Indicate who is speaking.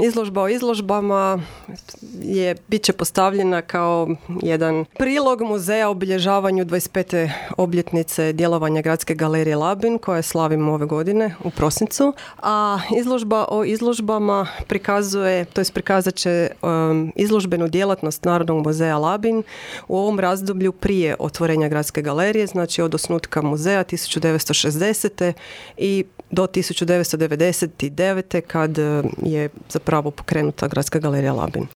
Speaker 1: izložba o izložbama bit će postavljena kao jedan prilog muzeja obilježavanju 25. obljetnice djelovanja Gradske galerije Labin, koje slavimo ove godine u prosincu. A izložba o izložbama prikazat će izložbenu djelatnost Narodnog muzeja Labin u ovom razdoblju prije otvorenja Gradske galerije, znači od osnutka muzeja 1960. i do 1999. kad je zapravo pokrenuta Gradska galerija Labin.